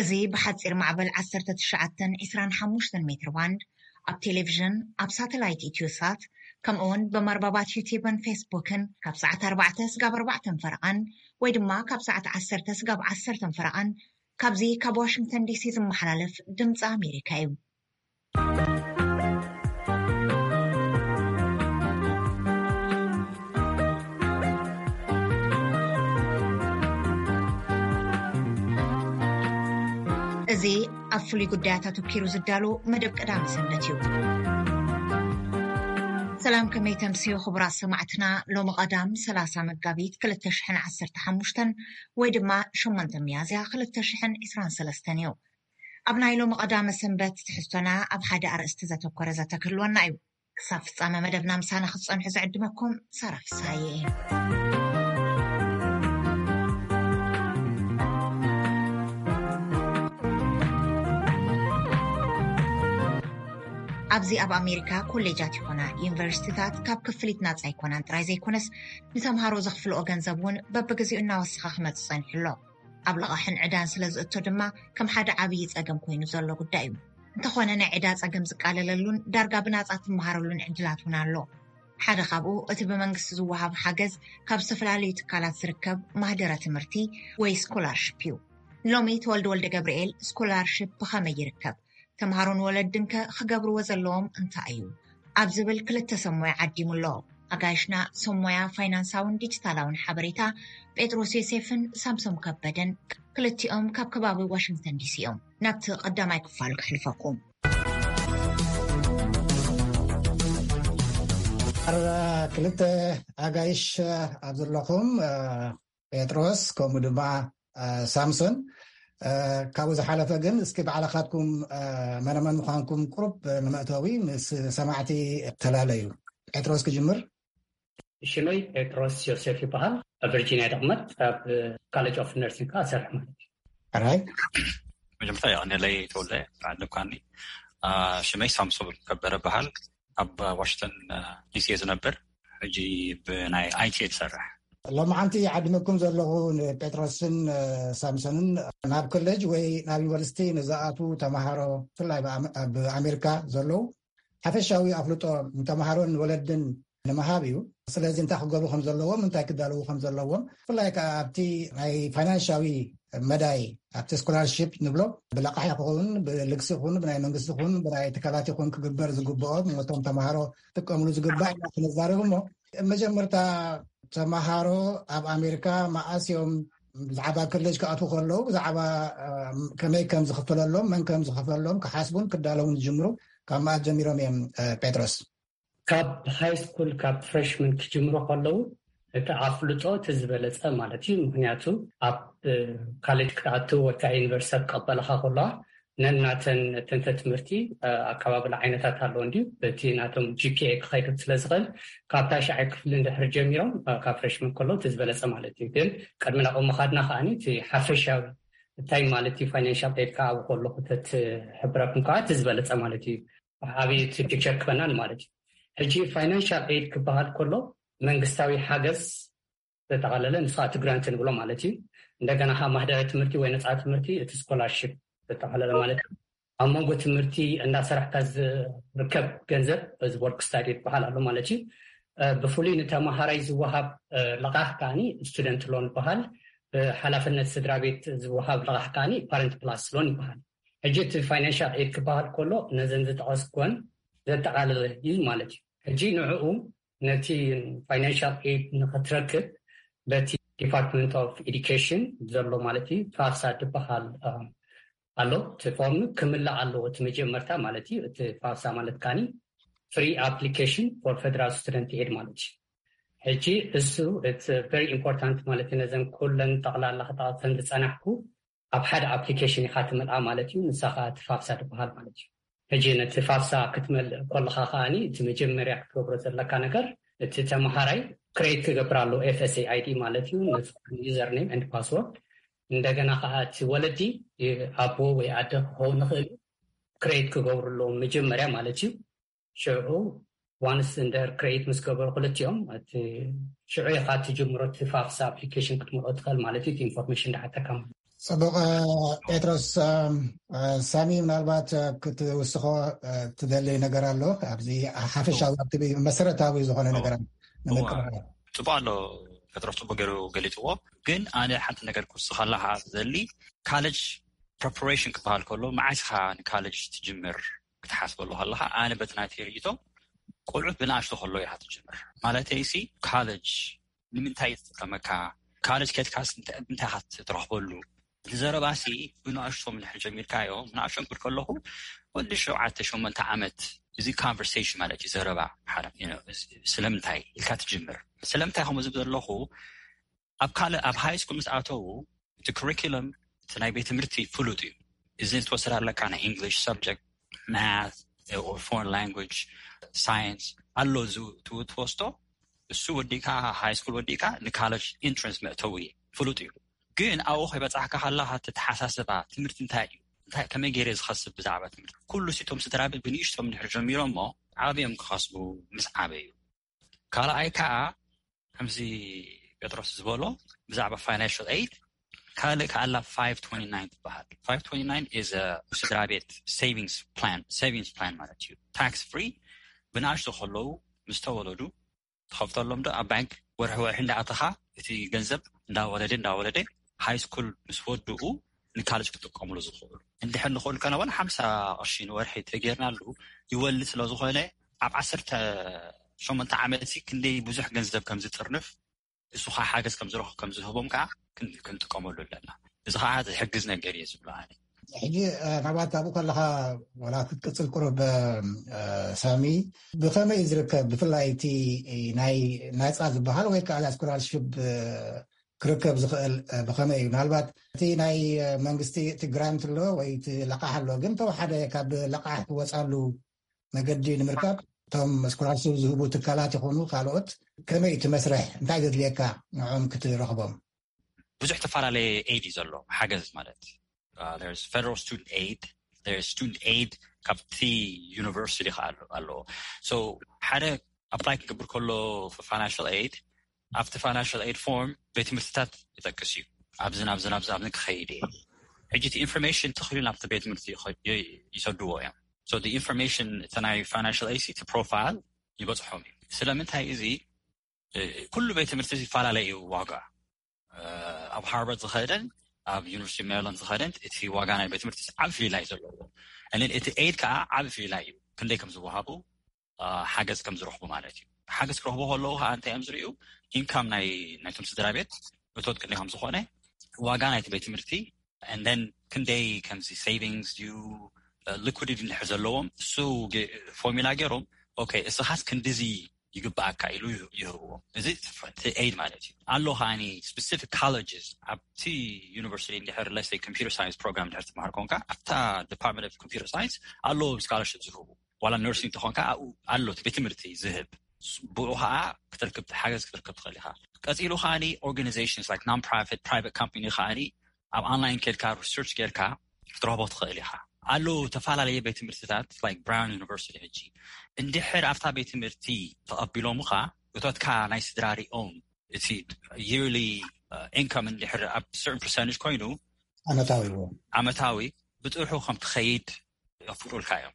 እዚ ብሓጺር ማዕበል ዓሰርተ ትሽዓተ ዕስራን ሓሙሽተን ሜትር ባንድ፣ ኣብ ቴሌቪዥን፣ ኣብ ሳተላይት ኢትዮሳት፣ ከምኡ እውን ብመርበባት ዩቲዩብን ፌስቡክን ካብ ሰዓት ኣርባዕተ ስጋብ ኣርባዕተን ፈረቓን ወይ ድማ ካብ ሰዓት ዓሰርተ ስጋብ ዓሰርተን ፈረቓን ካብዚ ካብ ዋሽንግተን ዲሲ ዝመሓላለፍ ድምፂ ኣሜሪካ እዩ። እዚ ኣብ ፍሉይ ጉዳያት ኣተኪሩ ዝዳሎ መደብ ቀዳም ሰንበት እዩ። ሰላም፣ ከመይ ተምስዩ ክቡራት ሰማዕትና? ሎሚ ቀዳም ሰላሳ መጋቢት ክልተ ሽሕን ዓሰርተ ሓሙሽተን ወይ ድማ ሸሞንተ ሚያዝያ ክልተ ሽሕን ዕስራን ሰለስተን እዩ። ኣብ ናይ ሎሚ ቀዳመ ሰንበት ትሕዝቶና ኣብ ሓደ ኣርእስቲ ዘተኮረ ዘተ ክህልወና እዩ። ክሳብ ፍጻመ መደብና ምሳና ክትጸንሑ ዝዕድመኩም ሳራ ፍስሃየ እየ። ኣብዚ ኣብ ኣሜሪካ ኮሌጃት ይኾና ዩኒቨርሲቲታት ካብ ክፍሊት ናጻ ኣይኮናን ጥራይ ዘይኮነስ፣ ንተምሃሮ ዘኽፍልኦ ገንዘብ እውን በብግዜኡ እናወሰኸ ክመጽእ ጸኒሑ ኣሎ። ኣብ ልቓሕን ዕዳን ስለ ዝእቶ ድማ ከም ሓደ ዓብዪ ጸገም ኮይኑ ዘሎ ጉዳይ እዩ። እንተኾነ ናይ ዕዳ ጸገም ዝቃለለሉን ዳርጋ ብናጻ ትመሃረሉን ዕድላት እውን ኣሎ። ሓደ ካብኡ እቲ ብመንግስቲ ዝወሃብ ሓገዝ ካብ ዝተፈላለዩ ትካላት ዝርከብ ማህደረ ትምህርቲ ወይ ስኮላርሽፕ እዩ። ሎሚ ተወልደ ወልደ ገብርኤል ስኮላርሽፕ ብኸመይ ይርከብ? ተምሃሮን ወለድንከ ክገብርዎ ዘለዎም እንታይ እዩ? ኣብ ዝብል ክልተ ሰብ ሞያ ዓዲሙ ኣሎ። ኣጋይሽና ሰብ ሞያ ፋይናንሳውን ዲጂታላውን ሓበሬታ ጴጥሮስ ዮሴፍን ሳምሶም ከበደን፣ ክልቲኦም ካብ ከባቢ ዋሽንግተን ዲሲ እዮም። ናብቲ ቀዳማይ ክፋል ክሕልፈኩም። ኣረ ክልተ ኣጋይሽ ኣብ ዘለኹም፣ እ፣ ጴጥሮስ ከምኡ ድማ፣ እ፣ ሳምሶን፣ እ፣ ካብኡ ዝሓለፈ ግን እስኪ ባዕልኻትኩም፣ እ፣ መነመን ምዃንኩም ቁሩብ ንመእተዊ ምስ ሰማዕቲ ተላለዩ። ጴጥሮስ ክጅምር። ሽመይ ጴጥሮስ ዮሴፍ ይበሃል። ኣብ ቨርጂኒያ ደቕመጥ ኣብ ካሌጅ ኦፍ ነርሲንግ ከኣ እሰርሕ ማለት እዩ። ሕራይ። መጀመርታ የቐንየለይ ተወልደ ብዓለምካኒ። አ፣ ሽመይ ሳምሶን ከበረ በሃል። ኣብ ዋሽንግተን፣ አ፣ ዲሲ እየ ዝነብር። ሕጂ ብናይ ኣይቲ እየ ዝሰርሕ። ሎማዓንቲ ዓዲመኩም ዘለኹ ንጴጥሮስን፣ አ፣ ሳምሶንን ናብ ኮሌጅ ወይ ናብ ዩኒቨርሲቲ ንዝኣትዉ ተምሃሮ፣ ብፍላይ ብኣመ-፣ ኣብ ኣሜሪካ ዘለዉ ሓፈሻዊ ኣፍልጦ ንተምሃሮን ወለድን ንምሃብ እዩ። ስለዚ እንታይ ክገብሩ ከም ዘለዎም፣ እንታይ ክዳለዉ ከም ዘለዎም፣ ብፍላይ ከኣ ኣብቲ ናይ ፋይናንሻዊ መዳይ፣ ኣብቲ ስኮላርሺፕ ንብሎ፣ ብለቃሕ ይኹን፣ ብልግሲ ይኹን፣ ብናይ መንግስቲ ይኹን፣ ብናይ ትካላት ይኹን ክግበር ዝግብኦ፣ ነቶም ተምሃሮ ክጥቀምሉ ዝግባእ ኢና ክንዛረብ እሞ፣ መጀመርታ ተምሃሮ ኣብ ኣሜሪካ መኣስ እዮም ብዛዕባ ኮሌጅ ክኣትዉ ከለዉ፣ ብዛዕባ፣ እ፣ ከመይ ከም ዝኽፈለሎም፣ መን ከም ዝኽፈለሎም ክሓስቡን ክዳለዉን ዝጅምሩ ካብ መኣስ ጀሚሮም እዮም፣ እ፣ ጴጥሮስ? ካብ ሃይ ስኩል፣ ካብ ፍሬሽመን ክጅምሩ ከለዉ፣ እቲ ኣፍልጦ እቲ ዝበለጸ ማለት እዩ። ምኽንያቱ ኣብ፣ እ፣ ካሌጅ ክትኣትው ወይ ከዓ ዩኒቨርሲቲ ክቐበለኻ ከለዋ፣ ነናተን ተንተ ትምህርቲ፣ እ፣ ኣቀባብላ ዓይነታት ኣለዎ እንድዩ። በቲ ናቶም ጂ ፒ ኤ ክኸይድ ስለ ዝኽእል፣ ካብ ታሽዓይ ክፍሊ እንድሕር ጀሚሮም፣ እ፣ ካብ ፍሬሽመን ከለዉ እቲ ዝበለጸ ማለት እዩ። ግን ቅድሚ ናብኡ ምኻድና ከኣኒ እቲ ሓፈሻዊ እንታይ ማለት እዩ ፋይናንሻል ኤድ ከኣ ኣብኡ ከለኹ ተትሕብረኩም ከኣ እቲ ዝበለጸ ማለት እዩ። ዓብዪ እቲ ፒክቸር ክበናል ማለት እዩ። ሕጂ ፋይናንሻል ኤድ ክበሃል ከሎ መንግስታዊ ሓገዝ ዘጠቓለለ፣ ንሱ እቲ ግራንት ንብሎ ማለት እዩ። እንደገና ከዓ ማህደረ ትምህርቲ ወይ ነፃ ትምህርቲ፣ እቲ ስኮላርሺፕ ዘጠቓለለ ማለት እዩ። ኣብ መንጎ ትምህርቲ እንዳሰራሕካ ዝርከብ ገንዘብ፣ እዚ ወርክ ስታዲ ይበሃል ኣሎ ማለት እዩ። እ፣ ብፍሉይ ንተምሃራይ ዝወሃብ፣ እ፣ ልቓሕ ከዓኒ ስቱደንት ሎን ይበሃል። ብሓላፍነት ስድራ ቤት ዝወሃብ ልቓሕ ከዓኒ ፓረንት ፕላስ ሎን ይበሃል። ሕጂ እቲ ፋይናንሻል ኤድ ክበሃል ከሎ ነዘን ዝጠቐስኩወን ዘጠቓለለ እዩ ማለት እዩ። ሕጂ ንዕኡ ነቲ ፋይናንሻል ኤድ ንኽትረክብ በቲ ዲፓርትመንት ኦፍ ኤዱኬሽን ዘሎ ማለት እዩ ፋፍሳ ዝበሃል፣ እ፣ ኣሎ። እቲ ፎርም ክምላእ ኣለዎ። እቲ መጀመርታ ማለት እዩ፣ እቲ ፋፍሳ ማለት ካኒ ፍሪ ኣፕሊኬሽን ፎር ፌደራል ስቱደንት ኤድ ማለት እዩ። ሕጂ እሱ it's very important ማለት እዩ። ነዘን ኩለን ጠቕላላ ክጠቕሰን ዝጸናሕኩ ኣብ ሓደ ኣፕሊኬሽን ኢኻ ትመልኣ ማለት እዩ። ንሳ ኸዓ እቲ ፋፍሳ ትበሃል ማለት እዩ። ሕጂ ነቲ ፋፍሳ ክትመልእ ከለኻ ከዓኒ እቲ መጀመርያ ክትገብሮ ዘለካ ነገር እቲ ተምሃራይ ክሬት ክገብር ኣለዎ ኤፍ ኤስ ኤ ኣይ ዲ ማለት እዩ። ነዚ ዩዘር ኔም ኤንድ ፓስወርድ፣ እንደገና ከዓ እቲ ወለዲ ኣቦ ወይ ኣደ ክኸውን ይኽእል እዩ፣ ክሬት ክገብሩ ኣለዎም መጀመርያ ማለት እዩ። ሽዑ ዋንስ እንድሕር ክሬት ምስ ገበሩ ክልቲኦም እቲ ሽዑ ኢኻ ትጅምሮ እቲ ፋፍሳ ኣፕሊኬሽን ክትመልኦ ትኽእል ማለት እዩ። እቲ ኢንፎርሜሽን ዳሓተካ ማለት እዩ። ጽቡቕ። ጴጥሮስ፣ ሳሚ፣ ምናልባት ክትውስኾ ትደሊ ነገር ኣሎ ኣብዚ ሓፈሻዊ ኣብቲ መሰረታዊ ዝኾነ ነገር? ጽቡቕ ኣሎ። ጴጥሮስ ጽቡቕ ገይሩ ገሊጽዎ። ግን ኣነ ሓንቲ ነገር ክውስኸላ ዝደሊ፣ ካለጅ ፕሪፓሬሽን ክበሃል ከሎ፣ መዓስ ኢኻ ንካለጅ ትጅምር ክትሓስበሉ ከለኻ፣ ኣነ በቲ ናተይ ርእይቶ፣ ቆልዑት ብንኣሽቱ ከሎ ኢኻ ትጅምር። ማለተይሲ፣ ካለጅ ንምንታይ ትጥቀመካ? ካለጅ ከድካስ እንታይ ኢኻ ትረኽበሉ? እቲ ዘረባሲ ብንኣሽቶም እንድሕር ጀሚርካዮ፣ ንኣሽቶም ክብል ከለኹ፣ ወዲ ሸውዓተ ሸሞንተ ዓመት፣ እዚ ኮንቨርሴሽን ማለት እዩ። ዘረባ፣ ስለምንታይ ኢልካ ትጅምር። ስለምንታይ ከምኡ ዝብል ዘለኹ፣ ኣብ ካልእ፣ ኣብ ሃይ ስኩል ምስ ኣተዉ፣ እቲ ኩሪኩለም፣ እቲ ናይ ቤት ትምህርቲ ፍሉጥ እዩ። እዚ ትወስድ ኣለካ፣ ናይ ኢንግሊሽ ሰብጀክት፣ ማት ኦር ፎረን ላንጉጅ፣ ሳይንስ ኣሎ። እዚ ትወስዶ፣ እሱ ወዲእካ፣ ሃይ ስኩል ወዲእካ ንካለጅ ኢንትረንስ መእተዊ ፍሉጥ እዩ። ግን ኣብኡ ከይበጻሕካ ከለኻ፣ ተተሓሳስባ ትምህርቲ እንታይ እዩ፣ እንታይ፣ ከመይ ገይረ ዝኸስብ ብዛዕባ ትምህርቲ፣ ኩሉ ሲቶም ስድራ ቤት ብንእሽቶም እንድሕር ጀሚሮሞ፣ ዓብዮም ክኸስቡ ምስ ዓበዩ። ካልኣይ ከዓ፣ ከምዚ ጴጥሮስ ዝበሎ፣ ብዛዕባ ፋይናንሽል ኤይድ፣ ካልእ ከኣላ ፋይቭ ትወንቲ ናይን ትበሃል። ፋይቭ ትወንቲ ናይን ኢዝ ስድራ ቤት ሴቪንግስ ፕላን፣ ሴቪንግስ ፕላን ማለት እዩ። ታክስ ፍሪ፣ ብንኣሽቱ ከለዉ፣ ምስ ተወለዱ ትኸፍተሎም ዶ ኣብ ባንክ፣ ወርሒ ወርሒ እንዳኣተኻ፣ እቲ ገንዘብ እንዳወለደ እንዳወለደ፣ ሃይ ስኩል ምስ ወድኡ ንካለጅ ክጥቀምሉ ዝኽእሉ። እንድሕር ንኽእል ከነ እውን ሓምሳ ቅርሺ ንወርሒ ተጌርናሉ ይወልድ ስለ ዝኾነ፣ ኣብ ዓሰርተ ሸሞንተ ዓመት እዚ ክንደይ ብዙሕ ገንዘብ ከም ዝጥርንፍ፣ እሱ ከዓ ሓገዝ ከም ዝረኽ-፣ ከም ዝህቦም ከዓ ክን-፣ ክንጥቀመሉ ኣለና። እዚ ከዓ ዝሕግዝ ነገር እየ ዝብሎ ኣነ። ሕጂ፣ እ፣ ናብኣት ኣብኡ ከለኻ፣ ዋላ ክትቅጽል ቁሩብ፣ እ፣ ሳሚ፣ ብኸመይ እዩ ዝርከብ? ብፍላይ እቲ ናይ ናጻ ዝበሃል ወይ ከዓ ስኮላርሽፕ፣ እ፣ ክርከብ ዝኽእል፣ እ፣ ብኸመይ እዩ? ምናልባት እቲ ናይ፣ እ፣ መንግስቲ እቲ ግራንት ኣሎ ወይ እቲ ለቃሕ ኣሎ፣ ግን ተወሓደ ካብ ለቃሕ ትወጻሉ መገዲ ንምርካብ እቶም ስኮላርሽፕ ዝህቡ ትካላት ይኹኑ ካልኦት ከመይ እቲ መስርሕ? እንታይ ዘድልየካ ንዕኦም ክትረኽቦም? ብዙሕ ተፈላለየ ኤይድ እዩ ዘሎ፣ ሓገዝ ማለት፣ ፌደራል ስቱደንት ኤይድ፣ ስቱደንት ኤይድ ካብቲ ዩኒቨርሲቲ ከዓ ኣሎ-፣ ኣለዎ። ሶ ሓደ ኣፕላይ ክገብር ከሎ ፋይናንሽል ኤይድ፣ ኣብቲ ፋይናንሽል ኤይድ ፎርም ቤት ትምህርትታት ይጠቅስ እዩ። ኣብዝን ኣብዝን ኣብዝን ኣብዝን ክኸይድ እየ። ሕጂ እቲ ኢንፎርሜሽን ተኽሉ ናብቲ ቤት ትምህርቲ ይኸ-፣ ይ-፣ ይሰድዎ እዮም። ሶ ኢንፎርሜሽን እቲ ናይ ፋይናንሽል ኤይድ እቲ ፕሮፋይል ይበፅሖም እዩ። ስለምንታይ እዚ፣ እ፣ ኩሉ ቤት ትምህርቲ ይፈላለ እዩ ዋጋ። እ፣ ኣብ ሃርቫርድ ዝኸደን ኣብ ዩኒቨርሲቲ ሜሪላንድ ዝኸደን እቲ ዋጋ ናይ ቤት ትምህርቲ ዓቢ ፍልላይ ዘለዎ። እንን እቲ ኤይድ ከዓ ዓቢ ፍልላይ እዩ። ክንደይ ከም ዝወሃቡ፣ እ፣ ሓገዝ ከም ዝረኽቡ ማለት እዩ። ሓገዝ ክረኽቡ ከለዉ ከዓ እንታይ እዮም ዝርእዩ? ኢንካም ናይ፣ ናይቶም ስድራ ቤት እቶት ክንደይ ከም ዝኾነ፣ ዋጋ ናይቲ ቤት ትምህርቲ፣ and then ክንደይ ከምዚ ሴቪንግስ ድዩ፣ እ፣ ሊኩዲቲ እንድሕር ዘለዎም፣ እሱ ገ-፣ ፎርሙላ ገይሮም፣ ኦኬ፣ እስኻስ ክንድዚ ይግብኣካ ኢሉ ይህ-፣ ይህብዎም። እዚ እቲ ኤይድ ማለት እዩ። ኣሎ ከዓኒ ስፔሲፊክ ኮሌጅስ፣ ኣብቲ ዩኒቨርሲቲ እንድሕር፣ ለሰይ፣ ኮምፒውተር ሳይንስ ፕሮግራም እንድሕር ትመሃር ኮንካ፣ ኣብታ ዲፓርትመንት ኦፍ ኮምፒውተር ሳይንስ ኣለዎም ስኮላርሽፕ ዝህቡ። ዋላ ነርሲንግ እንተኾንካ ኣብኡ ኣሎ እቲ ቤት ትምህርቲ ዝህብ። ብኡ ከዓ ክትረክብ፣ ሓገዝ ክትረክብ ትኽእል ኢኻ። ቀፂሉ ከዓኒ ኦርጋናይዜሽንስ ላይክ ናን ፕሮፊት፣ ፕራይቬት ካምፓኒ ከዓኒ ኣብ ኦንላይን ኬድካ ሪሰርች ጌርካ ክትረኽቦ ትኽእል ኢኻ። ኣለዉ ተፈላለየ ቤት ትምህርትታት ላይክ ብራውን ዩኒቨርሲቲ። ሕጂ እንድሕር ኣብታ ቤት ትምህርቲ ተቐቢሎምኻ፣ እቶትካ ናይ ስድራ ሪኦም፣ እቲ የርሊ ኢንካም እንድሕር ኣብ ሰርተን ፐርሰንቴጅ ኮይኑ፣ ዓመታዊ እውን። ዓመታዊ ብጥርሑ ከም ትኸይድ የፍቅዱልካ እዮም።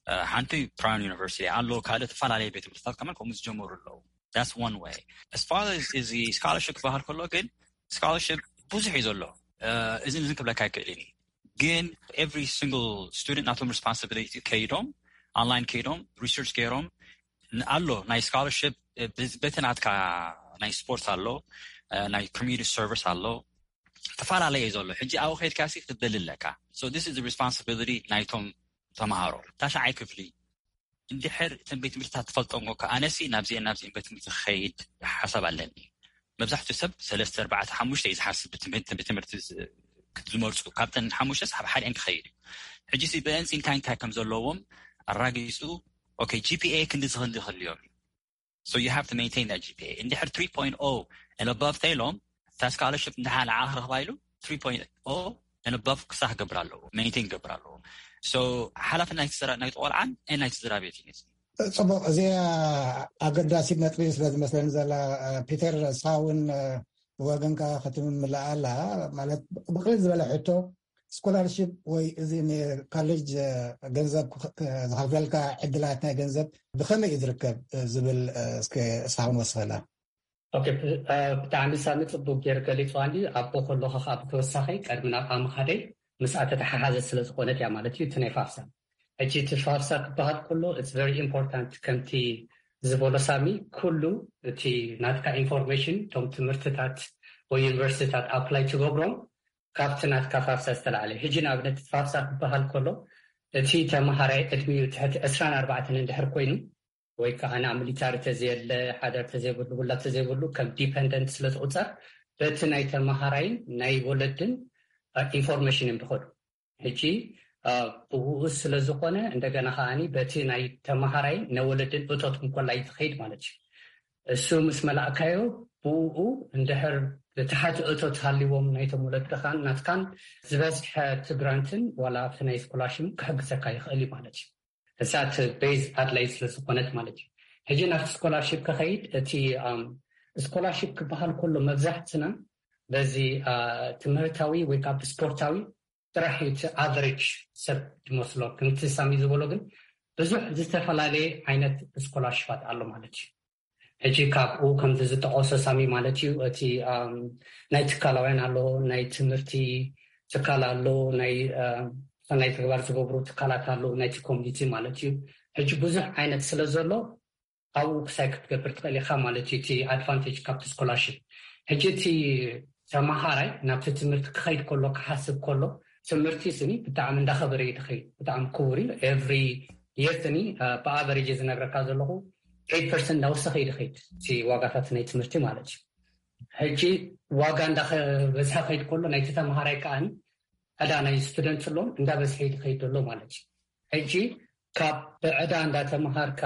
እ፣ ሓንቲ ብራውን ዩኒቨርሲቲ ኣሎ፣ ካልእ ተፈላለየ ቤት ትምህርትታት ከማን ከምኡ ዝጀመሩ ኣለዉ። That's one way. As far as እዚ ስኮላርሽፕ ክበሃል ከሎ ግን፣ ስኮላርሽፕ ብዙሕ እዩ ዘሎ። እ፣ እዝን እዝን ክብለካ ኣይክእልን እዩ። ግን ኤቭሪ ሲንግል ስቱደንት ናቶም ሪስፖንሲቢሊቲ ከይዶም፣ ኦንላይን ከይዶም፣ ሪሰርች ገይሮም፣ ን-፣ ኣሎ ናይ ስኮላርሽፕ፣ እ፣ ብ-፣ በቲ ናትካ ናይ ስፖርት ኣሎ፣ እ፣ ናይ ኮሚኒቲ ሰርቪስ ኣሎ፣ ተፈላለየ እዩ ዘሎ። ሕጂ ኣብኡ ከይድካ ሲ ክትደሊ ኣለካ። So this is the responsibility ናይቶም ተምሃሮ። ታሽዓይ ክፍሊ እንድሕር እተን ቤት ትምህርትታት ትፈልጦም ኮንካ፣ ኣነሲ ናብዚአን ናብዚአን ቤት ትምህርቲ ክኸይድ ሓሳብ ኣለኒ። መብዛሕትኡ ሰብ ሰለስተ፣ ኣርባዕተ፣ ሓሙሽተ እዩ ዝሓስብ፣ ብትምህርቲ፣ ብትምህርቲ ዝ-፣ ዝመርፁ። ካብተን ሓሙሽተስ ኣብ ሓደአን ክኸይድ እዩ። ሕጂ ሲ ብአንሲ እንታይ እንታይ ከም ዘለዎም ኣራጊፁ፣ ኦኬ፣ ጂ ፒ ኤ ክንዲ ዝኽንዲ ክህልዮም እዩ። So you have to maintain that ጂ ፒ ኤ። እንድሕር ትሪ ፖይንት ኦ and above ተይሎም፣ እታ ስኮላርሽፕ እንድሓ ንዓ ክረኽባ ኢሉ፣ ትሪ ፖይንት ኦ and above ክሳዕ ክገብር ኣለዎ፣ ሜንቴን ክገብር ኣለዎ። So ሓላፍነት ናይቲ ስድራ፣ ናይቲ ቆልዓን፣ እ፣ ናይቲ ስድራ ቤት እዩ። ጽቡቕ፣ እዚኣ ኣገዳሲት ነጥቢ ስለ ዝመስለኒ ዘላ፣ እ፣ ፒተር፣ ንስኻ እውን፣ እ፣ ብወገንካ ክትምልኣ ኣለካ? ማለት ብቕልል ዝበለ ሕቶ፣ ስኮላርሺፕ ወይ እዚ ንካሌጅ ገንዘብ ዝኸፍለልካ ዕድላት ናይ ገንዘብ ብኸመይ እዩ ዝርከብ ዝብል እስከ እስኻ ክንወስኸላ። ብጣዕሚ ሳሚ ጽቡቅ ገይር ገሊጽ ዋንዲ ኣቦ ከለኹ ከዓ ብተወሳኺ ቀድሚ ናብ ኣምኻደይ ምስኣ ተተሓሓዘ ስለ ዝኾነት እያ ማለት እዩ። እቲ ናይ ፋፍሳ ሕጂ እቲ ፋፍሳ ክበሃል ከሎ it's very important ከምቲ ዝበሎ ሳሚ ኩሉ እቲ ናትካ ኢንፎርሜሽን እቶም ትምህርትታት ወይ ዩኒቨርሲቲታት ኣፕላይ ትገብሮም ካብቲ ናትካ ፋፍሳ ዝተላዕለ። ሕጂ ንኣብነት ፋፍሳ ክበሃል ከሎ እቲ ተመሃራይ ዕድሚኡ ትሕቲ ዕስራን ኣርባዕተን እንድሕር ኮይኑ ወይ ከዓ ናብ ሚሊታሪ ተዘየለ ሓደር ተዘይብሉ ውላ ተዘይብሉ ከም ዲፐንደንት ስለ ዝቁፀር በቲ ናይ ተመሃራይን ናይ ወለድን ኢንፎርሜሽን እዮም ዝኸዱ። ሕጂ ብኡ ስለ ዝኾነ እንደገና ከዓኒ በቲ ናይ ተመሃራይን ናይ ወለድን እቶት እንኮላይ ትኸይድ ማለት እዩ። እሱ ምስ መላእካዮ ብኡ እንድሕር ብትሓቲ እቶት ሃልዎም ናይቶም ወለድኻን ናትካን ዝበዝሐ እቲ ግራንትን ዋላ ኣብቲ ናይ ስኮላርሽፕ ክሕግዘካ ይኽእል እዩ ማለት እዩ። እዛ እቲ ቤዝ ኣድላይ ስለ ዝኾነት ማለት እዩ። ሕጂ ናብቲ ስኮላርሽፕ ክኸይድ እቲ ስኮላርሽፕ ክበሃል ከሎ መብዛሕትና በዚ ትምህርታዊ ወይ ካብ ስፖርታዊ ጥራሕ እዩ እቲ ኣቨሬጅ ሰብ ዝመስሎ። ከምቲ ሳሚ ዝበሎ ግን ብዙሕ ዝተፈላለየ ዓይነት ስኮላርሽፓት ኣሎ ማለት እዩ። ሕጂ ካብኡ ከምዚ ዝጠቐሶ ሳሚ ማለት እዩ እቲ ናይ ትካላውያን ኣሎ፣ ናይ ትምህርቲ ትካል ኣሎ፣ ናይ ሰናይ ተግባር ዝገብሩ ትካላት ኣሎ፣ ናይቲ ኮሚኒቲ ማለት እዩ። ሕጂ ብዙሕ ዓይነት ስለ ዘሎ ኣብኡ ክሳይ ክትገብር ትኽእል ኢኻ ማለት እዩ። እቲ ኣድቫንቴጅ ካብቲ ስኮላርሽፕ ሕጂ እቲ ተመሃራይ ናብቲ ትምህርቲ ክኸይድ ከሎ ክሓስብ ከሎ ትምህርቲ ስኒ ብጣዕሚ እንዳኸበረ እዩ ዝኸይድ። ብጣዕሚ ክቡር እዩ። ኤቭሪ የር ስኒ ብኣቨሬጅ ዝነግረካ ዘለኹ ኤት ፐርሰንት እንዳወሰኸ እዩ ዝኸይድ እቲ ዋጋታት ናይ ትምህርቲ ማለት እዩ። ሕጂ ዋጋ እንዳበዝሐ ከይድ ከሎ ናይቲ ተመሃራይ ከዓኒ ዕዳ ናይ ስቱደንት ኣለዎም እንዳበዝሐ እዩ ዝኸይድ ዘሎ ማለት እዩ። ሕጂ ካብ ብዕዳ እንዳተመሃርካ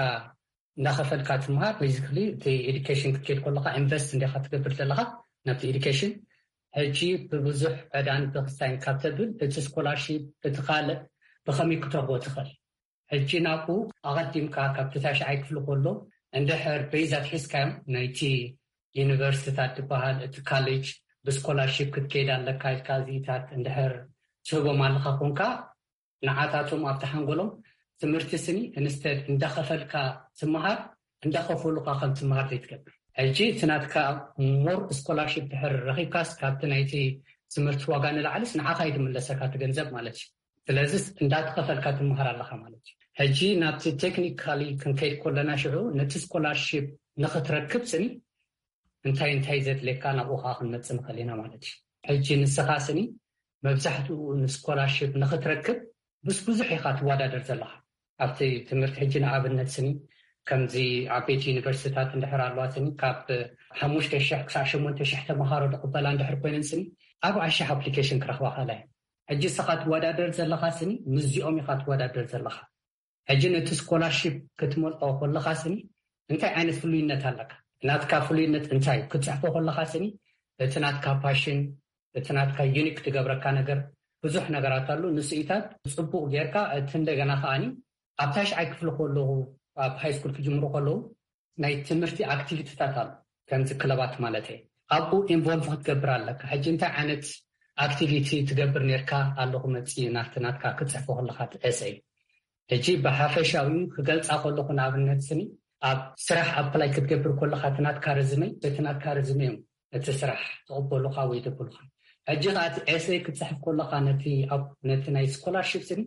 እንዳኸፈልካ ትምሃር ቤዚክሊ እቲ ኤዱኬሽን ክትከይድ ከለካ ኢንቨስት እንዲካ ትገብር ዘለካ ናብቲ ኤዱኬሽን። ሕጂ ብብዙሕ ዕዳን ብክሳይን ካብ ተብል እቲ ስኮላርሺፕ እቲ ካልእ ብከመይ ክተርቦ ትኽእል? ሕጂ ናብኡ ኣቐዲምካ ካብቲ ታሽዓይ ክፍሊ ከሎ እንድሕር ቤዝ ኣትሒዝካዮም ናይቲ ዩኒቨርሲቲታት ዝበሃል እቲ ካሌጅ ብስኮላርሺፕ ክትከይድ ኣለካ ኢልካ እዚኢታት እንድሕር ትህቦም ኣለካ ኮንካ ንዓታቶም ኣብቲ ሓንጎሎም ትምህርቲ ስኒ ኢንስተድ እንዳኸፈልካ ትምሃር እንዳኸፈሉካ ከም ትምሃር ዘይትገብር። ሕጂ እቲ ናትካ ሞር ስኮላርሺፕ ድሕር ረኺብካስ ካብቲ ናይቲ ትምህርቲ ዋጋ ንላዕልስ ንዓኻ እዩ ዝምለሰካ እቲ ገንዘብ ማለት እዩ። ስለዚስ እንዳተኸፈልካ ትምሃር ኣለካ ማለት እዩ። ሕጂ ናብቲ ቴክኒካሊ ክንከይድ ከለና ሽዑ ነቲ ስኮላርሺፕ ንኽትረክብ ስኒ እንታይ እንታይ ዘድልየካ ናብኡ ከዓ ክንመፅእ ንኽእል ኢና ማለት እዩ። ሕጂ ንስኻ ስኒ መብዛሕትኡ ንስኮላርሽፕ ንኽትረክብ ምስ ብዙሕ ኢኻ ትወዳደር ዘለኻ ኣብቲ ትምህርቲ። ሕጂ ንኣብነት ስኒ ከምዚ ዓበይቲ ዩኒቨርሲቲታት እንድሕር ኣለዋ ስኒ ካብ ሓሙሽተ ሽሕ ክሳብ ሸሞንተ ሽሕ ተምሃሮ ዝቕበላ እንድሕር ኮይነን ስኒ ኣርባዓ ሽሕ ኣፕሊኬሽን ክረኽባ ክእላ እየን። ሕጂ ንስኻ ትወዳደር ዘለኻ ስኒ ምስዚኦም ኢኻ ትወዳደር ዘለኻ። ሕጂ ነቲ ስኮላርሺፕ ክትመልኦ ከለኻ ስኒ እንታይ ዓይነት ፍሉይነት ኣለካ? ናትካ ፍሉይነት እንታይ እዩ? ክትፅሕፎ ከለኻ ስኒ እቲ ናትካ ፓሽን እቲ ናትካ ዩኒክ ትገብረካ ነገር ብዙሕ ነገራት ኣሎ። ንስኢታት ፅቡቅ ጌርካ እቲ እንደገና ከዓኒ ኣብ ታሽዓይ ክፍሊ ከለኹ ኣብ ሃይ ስኩል ክጅምሩ ከለዉ ናይ ትምህርቲ ኣክቲቪቲታት ኣሎ ከምዚ ክለባት ማለት እየ ኣብኡ ኢንቮልቭ ክትገብር ኣለካ። ሕጂ እንታይ ዓይነት ኣክቲቪቲ ትገብር ነርካ ኣለኹ መፂ ናፍቲ ናትካ ክትፅሕፎ ከለካ ኤሰይ። ሕጂ ብሓፈሻዊ ክገልፃ ከለኹ ንኣብነት ስኒ ኣብ ስራሕ ኣፕላይ ክትገብር ከለካ እቲ ናትካ ርዝመይ እቲ ናትካ ርዝመ እዮም እቲ ስራሕ ትቕበሉካ ወይ ደብሉካ። ሕጂ ከዓ እቲ ኤሰይ ክትፅሕፍ ከለካ ነቲ ናይ ስኮላርሽፕ ስኒ